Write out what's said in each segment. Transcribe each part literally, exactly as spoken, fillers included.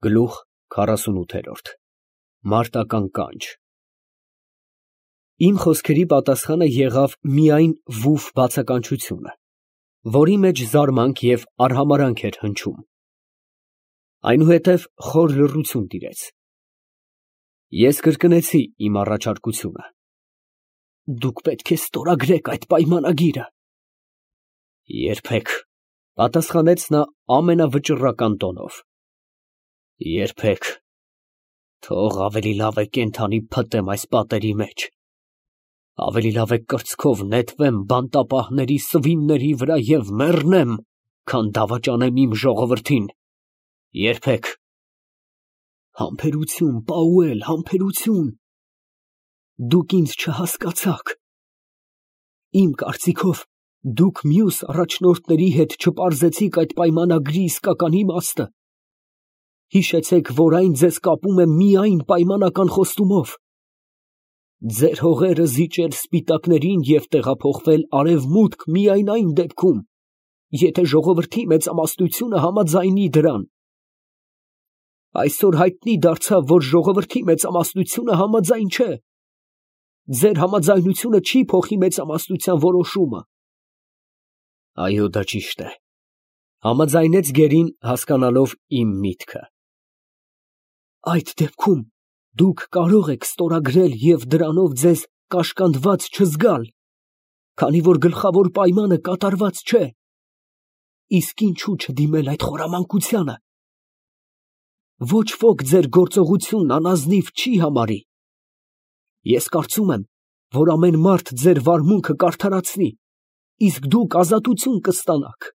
Գլուխ քառասունութ Մարտական կանչ Իմ խոսքերի պատասխանը եղավ միայն վուֆ բացականչությունը, որի մեջ զարմանք և արհամարհանք էր հնչում, այնուհետև խոր լռություն տիրեց։ Ես կրկնեցի իմ առաջարկությունը. «Դուք պետք է ստորագրեք այդ պայմանագիրը»։ «Երբեք», ֊ պատասխանեց նա ամենավճռական տոնով, «երբեք, թող ավելի լավ է կենդանի փտտեմ այս պատերի մեջ, ավելի լավ է կրծքով նետվեմ բանտապահների սվինների վրա և մեռնեմ, քան դավաճանեմ իմ ժողովրդին, երբեք»։ «Համբերություն, Պաուել, համբերություն, դուք ինձ չհասկացաք, իմ կարծիքով, դուք մյուս առաջնորդների հետ չպարզեցիք այդ պայմանագրի իսկական իմաստը, հիշեցեք, որ այն ձեզ կապում է միայն պայմանական խոստումով, ձեր հողերը զիջել սպիտակներին և տեղափոխվել արևմուտք միայն այն դեպքում, եթե ժողովրդի մեծամասնությունը համաձայնի դրան։ Այսօր հայտնի դարձավ, որ ժողովրդի մեծամասնությունը համաձայն չէ, ձեր համաձայնությունը չի փոխի մեծամասնության որոշումը»։ «Այո, դա ճիշտ է», ֊ համաձայնեց գերին, հասկանալով իմ միտքը։ «Այդ դեպքում դուք կարող եք ստորագրել և դրանով ձեզ կաշկանդված չզգալ, քանի որ գլխավոր պայմանը կատարված չէ, իսկ ինչո՞ւ չդիմել այդ խորամանկությանը։ Ոչ ոք ձեր գործողությունն անազնիվ չի համարի։ Ես կարծում եմ, որ ամեն մարդ ձեր վարմունքը կարդարացնի, իսկ դուք ազատություն կստանաք»։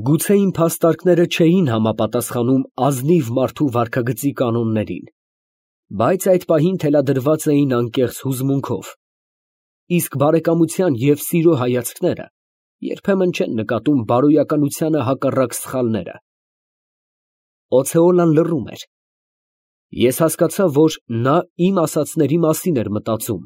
Գուցե իմ փաստարկները չէին համապատասխանում ազնիվ մարդու վարքագծի կանոններին, բայց այդ պահին թելադրված էին անկեղծ հուզմունքով, իսկ բարեկամության և սիրո հայացքները երբեմն չեն նկատում բարոյականությանը հակառակ սխալները։ Օցեոլան լռում էր։ Ես հասկացա, որ նա իմ ասածների մասին էր մտածում։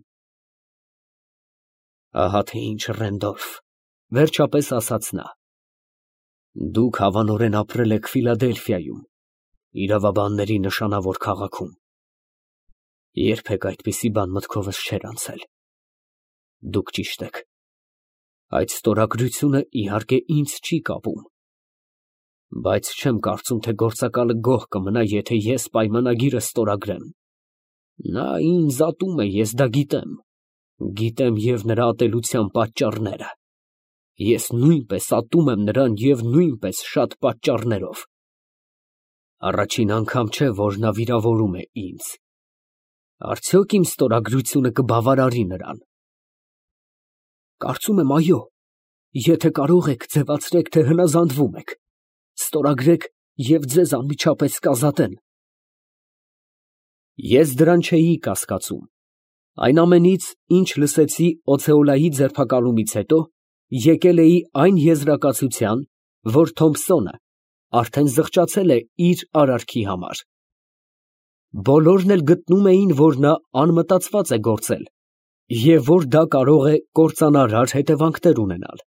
«Ահա թե ինչ, Ռենդոլֆ, ֊ վերջապես ասաց նա, ֊ դուք հավանորեն ապրել եք Ֆիլադելֆիայում, իրավաբանների նշանավոր քաղաքում, երբեք այդպիսի բան մտքովս չէր անցել։ Դուք ճիշտ եք, այդ ստորագրությունը, իհարկե, ինձ չի կապում, բայց չեմ կարծում, թե գործակալը գոհ կմնա, եթե ես պայմանագիրը ստորագրեմ։ Նա ինձ ատում է, ես դա գիտեմ, գիտեմ և նրա ատելության պատճառները, ես նույնպես ատում եմ նրան և նույնպես շատ պատճառներով։ Առաջին անգամ չէ, որ նա վիրավորում է ինձ, արդյոք իմ ստորագրությունը կբավարարի նրան։ Կարծում եմ, այո, եթե կարող եք, ձևացրեք, թե հնազանդվում եք, ստորագրեք և ձեզ անմիջապես կազատեն։ Ես դրան չէի կասկածում։ Այն ամենից, ինչ լսեցի Օցեոլայի ձերբակալումից հետո, եկել էի այն եզրակացության, որ Թոմփսոնը արդեն զղջացել է իր արարքի համար։ Բոլորն էլ գտնում էին, որ նա անմտածված է գործել և որ դա կարող է կործանարար հետևանքներ ունենալ։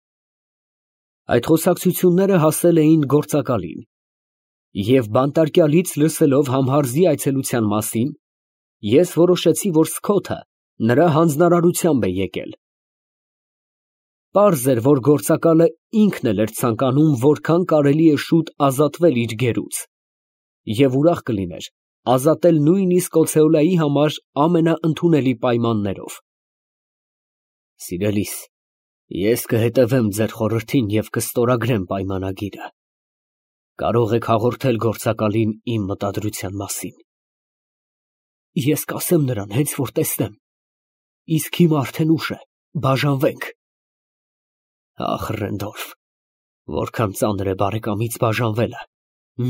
Այդ խոսակցությունները հասել էին գործակալին, և բանտարկյալից լսելով համհարզի այցելության մասին, ես որոշեցի, որ Սքոթը նրա հանձնարարությամբ է եկել։ Պարզ էր, որ գործակալը ինքն էլ էր ցանկանում որքան կարելի է շուտ ազատվել իր գերուց և ուրախ կլիներ ազատել նույնիսկ Օցեոլայի համար ամենաընդունելի պայմաններով։ Սիրելիս, ես կհետևեմ ձեր խորհրդին և կստորագրեմ պայմանագիրը։ Կարող եք հաղորդել գործակալին իմ մտադրության մասին։ Ես կասեմ նրան, հենց որ տեսնեմ, իսկ հիմա արդեն ուշ է, բաժանվենք։ Ախ, Ռենդոլֆ, որքան ծանր է բարեկամից բաժանվելը,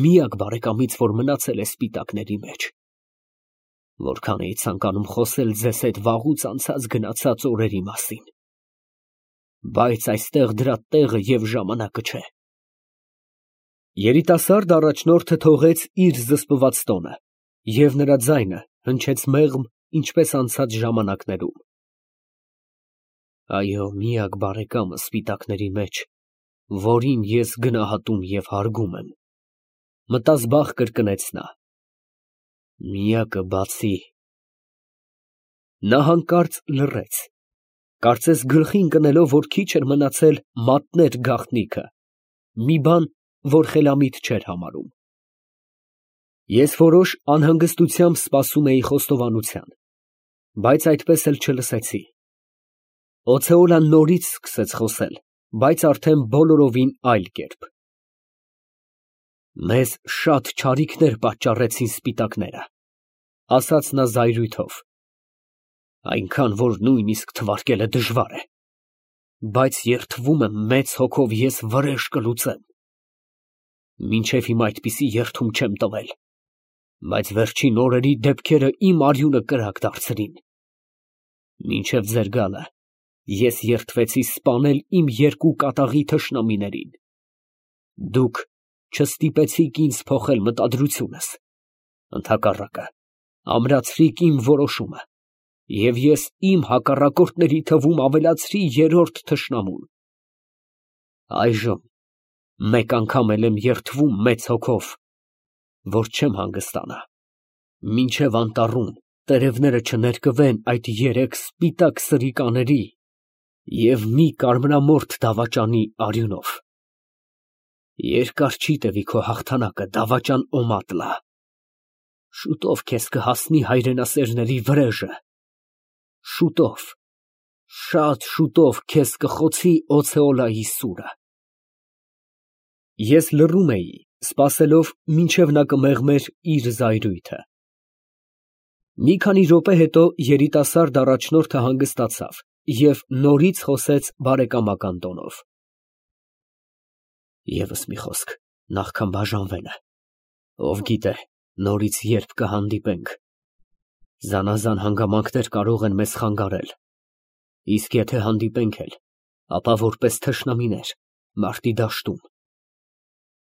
միակ բարեկամից, որ մնացել է սպիտակների մեջ։ Որքան էի ցանկանում խոսել ձեզ հետ վաղուց անցած գնացած օրերի մասին, բայց այստեղ դրա տեղը և ժամանակը չէ։ Երիտասարդ առաջնորդը թողեց իր զսպված տոնը, և նրա ձայնը հնչեց մեղմ, ինչպես անցած ժամանակներում։ Այո, միակ բարեկամը սպիտակների մեջ, որին ես գնահատում և հարգում եմ։ Մտազբաղ կրկնեց նա։ Միակը բացի։ Նա հանկարծ լռեց, կարծես գլխի ընկնելով, որ քիչ էր մնացել մատներ գաղտնիքը, մի բան, որ խելամիտ չէր համարում։ Ես որոշ անհանգստությամբ սպասում էի խոստովանության, բայց այդպես էլ չլսեցի։ Օթեոլան նորից սկսեց խոսել, բայց արդեն բոլորովին այլ կերպ։ Մեզ շատ չարիքներ պատճառեցին սպիտակները, ասաց նա զայրույթով, այնքան, որ նույնիսկ թվարկելը դժվար է, բայց երդվում եմ մեծ հոգով ես վրեժ կլուծեմ։ Մինչև հիմա այդպիսի երդում չեմ տվել, բայց վերջին օրերի դեպքերը իմ արյունը կրակ դարձրին։ Մինչև ձեր գալը ես երդվեցի սպանել իմ երկու կատաղի թշնամիներին։ Դուք չստիպեցիք ինձ փոխել մտադրությունս, ընդհակառակը, ամրացրիք իմ որոշումը, և ես իմ հակառակորդների թվում ավելացրի երրորդ թշնամուն։ Այժմ մեկ անգամ էլ եմ երդվում մեծ հոգով, որ չեմ հանգստանա, մինչև անտառում տերևները չներկվեն այդ երեք սպիտակ սրիկաների և մի կարմրամորթ դավաճանի արյունով։ Երկար չի տևի քո հաղթանակը, դավաճան Օմատլա, շուտով քեզ կհասնի հայրենասերների վրեժը, շուտով, շատ շուտով քեզ կխոցի Օթեոլայի սուրը։ Ես լռում էի, սպասելով, մինչև նա կմեղմեր իր զայրույթը։ Մի քանի րոպե հետո երիտասարդ առաջնորդը հանգստացավ և նորից խոսեց բարեկամական տոնով. Եվս մի խոսք, նախքան բաժանվելը, ով գիտե, նորից երբ կհանդիպենք, զանազան հանգամանքներ կարող են մեզ խանգարել, իսկ եթե հանդիպենք էլ, ապա որպես թշնամիներ, մարտի դաշտում։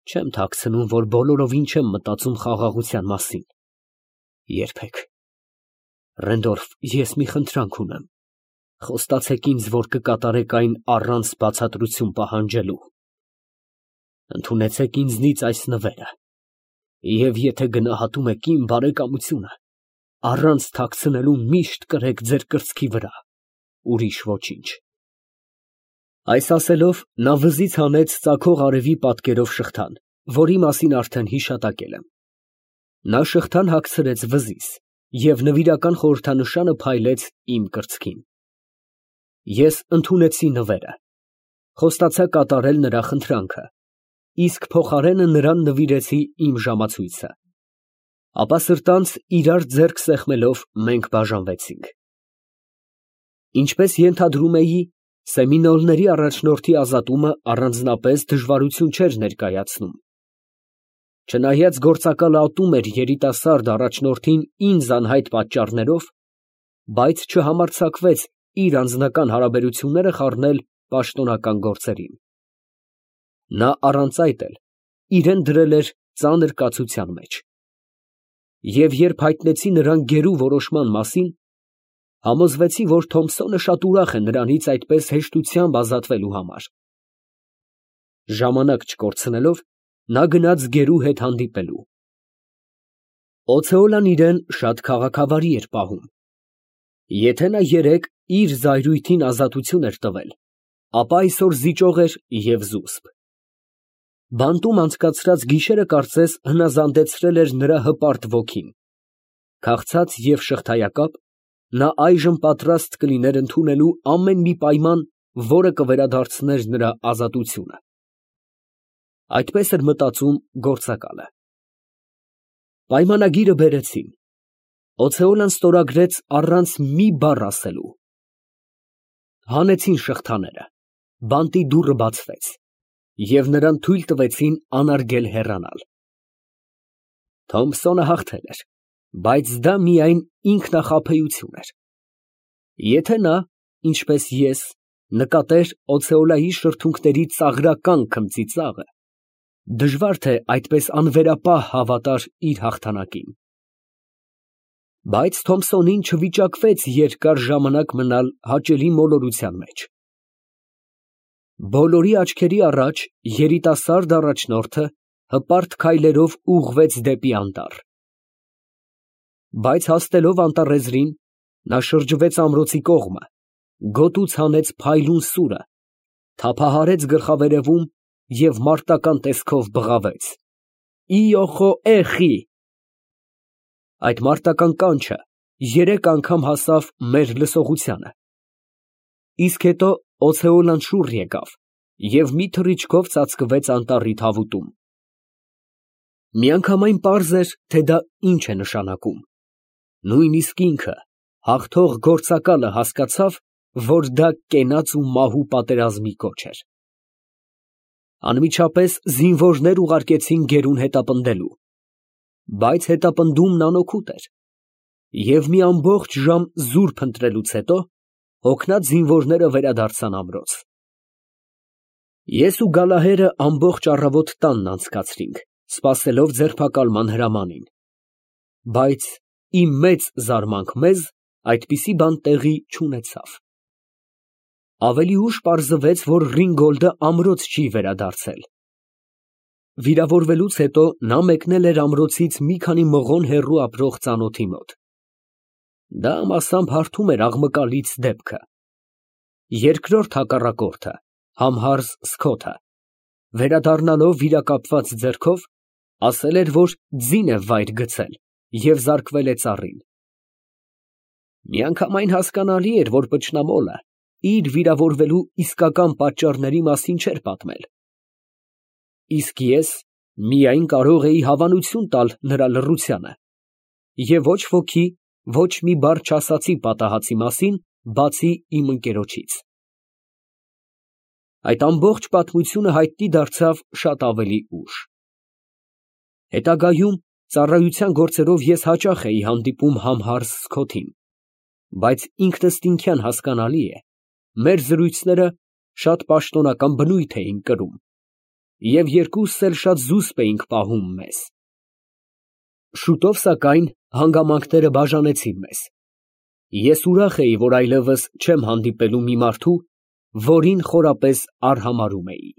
Չեմ թաքցնում, որ բոլորովին չեմ մտածում խաղաղության մասին։ Երբեք։ Ռենդոլֆ, ես մի խնդրանք ունեմ, խոստացեք ինձ, որ կկատարեք այն առանց բացատրություն պահանջելու։ Ընդունեցեք ինձնից այս նվերը, և եթե գնահատում եք իմ բարեկամությունը, առանց թաքցնելու միշտ կրեք ձեր կրծքի վրա, ուրիշ ոչինչ։ Այս ասելով, նա վզից հանեց ծագող արևի պատկերով շղթան, որի մասին արդեն հիշատակել եմ։ Նա շղթան հագցրեց վզիս և նվիրական խորհրդանշանը փայլեց իմ կրծքին։ Ես ընդունեցի նվերը, խոստացա կատարել նրա խնդրանքը, իսկ փոխարենը նրան նվիրեցի իմ ժամացույցը։ Ապա սրտանց իրար ձեռք սեղմելով մենք բաժանվեցինք։ Ինչպես ենթադրում էի, Սեմինոլների առաջնորդի ազատումը առանձնապես դժվարություն չէր ներկայացնում։ Չնայած գործակալը ատում էր երիտասարդ առաջնորդին ինձ անհայտ պատճառներով, բայց չհամարձակվեց իր անձնական հարաբերությունները խառնել պաշտոնական գործերին։ Նա առանց այդ էլ իրեն դրել էր ծանր կացության մեջ։ Եվ երբ հայտնեցի նրան գերու որոշման մասին, համոզվեցի, որ Թոմփսոնը շատ ուրախ է նրանից այդպես հեշտությամբ ազատվելու համար։ Ժամանակ չկորցնելով, նա գնաց գերու հետ հանդիպելու։ Օթեոլան իրեն շատ քաղաքավարի էր պահում։ Եթե նա երեկ իր զայրույթին ազատություն էր տվել, ապա այսօր զիջող էր և զուսպ։ Բանտում անցկացրած գիշերը կարծես հնազանդեցրել էր նրա հպարտ ոգին։ Քաղցած և շղթայակապ, նա այժմ պատրաստ կլիներ ընդունելու ամեն մի պայման, որը կվերադարձներ նրա ազատությունը։ Այդպես էր մտածում գործակալը։ Պայմանագիրը բերեցին։ Օթեոլան ստորագրեց առանց մի բառ ասելու։ Հանեցին շղթաները, բանտի դուռը բացվեց, և նրան թույլ տվեցին անարգել հեռանալ։ Թոմփսոնը հաղթել էր, բայց դա միայն ինքնախաբեություն էր։ Եթե նա, ինչպես ես, նկատեր Օթեոլայի շրթունքների ծաղրական քմծիծաղը, դժվար թե այդպես անվերապահ հավատար իր հաղթանակին։ Բայց Թոմփսոնին չվիճակվեց երկար ժամանակ մնալ հաճելի մոլորության մեջ։ Բոլորի աչքերի առաջ երիտասարդ առաջնորդը հպարտ քայլերով ուղղվեց դեպի անտառ։ Բայց հասնելով անտառեզրին, նա շրջվեց ամրոցի կողմը, գոտուց հանեց փայլուն սուրը, թափահարեց գլխավերևում և մարտական տեսքով բղավեց. «Իոխո էխի»։ Այդ մարտական կանչը երեք անգամ հասավ մեր լսողությանը, իսկ հետո օցեոլան շուռ եկավ և մի թռիչքով ծածկվեց անտառի թավուտում։ Միանգամայն պարզ էր, թե դա ինչ է նշանակում. նույնիսկ ինքը, հաղթող գործակալը, հասկացավ, որ դա կենաց ու մահու պատերազմի կոչ էր։ Անմիջապես զինվորներ ուղարկեցին գերուն հետապնդելու, բայց հետապնդումն անօգուտ էր, և մի ամբողջ ժամ զուրկ ընտրելուց հետո հոգնած զինվորները վերադարձան ամրոց։ Ես ու Գալահերը ամբողջ առավոտ տանն անցկացրինք, սպասելով ձերբակալման հրամանին, բայց ի մեծ զարմանք մեզ, այդպիսի բան տեղի չունեցավ։ Ավելի ուշ պարզվեց, որ Ռինգոլդը ամրոց չի վերադարձել։ Վիրավորվելուց հետո նա մեկնել էր ամրոցից մի քանի մղոն հեռու ապրող ծանոթի մոտ։ Դա մասամբ հարթում էր աղմկալից դեպքը։ Երկրորդ հակառակորդը, Համհարզ Սքոթը, վերադառնալով վիրակապված ձեռքով, ասել էր, որ ձին է վայր գցել և զարկվել է ծառին։ Միանգամայն հասկանալի էր, որ վճռամոլը իր վիրավորվելու իսկական պատճառների մասին չէր պատմել, իսկ ես միայն կարող էի հավանություն տալ նրա լռությանը, և ոչ ոքի ոչ մի բառ չասացի պատահածի մասին, բացի իմ ընկերոջից։ Այդ ամբողջ պատմությունը հայտնի դարձավ շատ ավելի ուշ։ Հետագայում ծառայության գործերով ես հաճախ էի հանդիպում Համհարզ Սքոթին, բայց ինքնըստինքյան հասկանալի է, մեր զրույցները շատ պաշտոնական բնույթ էին կրում, և երկուսս էլ շատ զուսպ էինք պահում մեզ։ Շուտով, սակայն, հանգամանքները բաժանեցին մեզ։ Ես ուրախ էի, որ այլևս չեմ հանդիպելու մի մարդու, որին խորապես արհամարհում էի։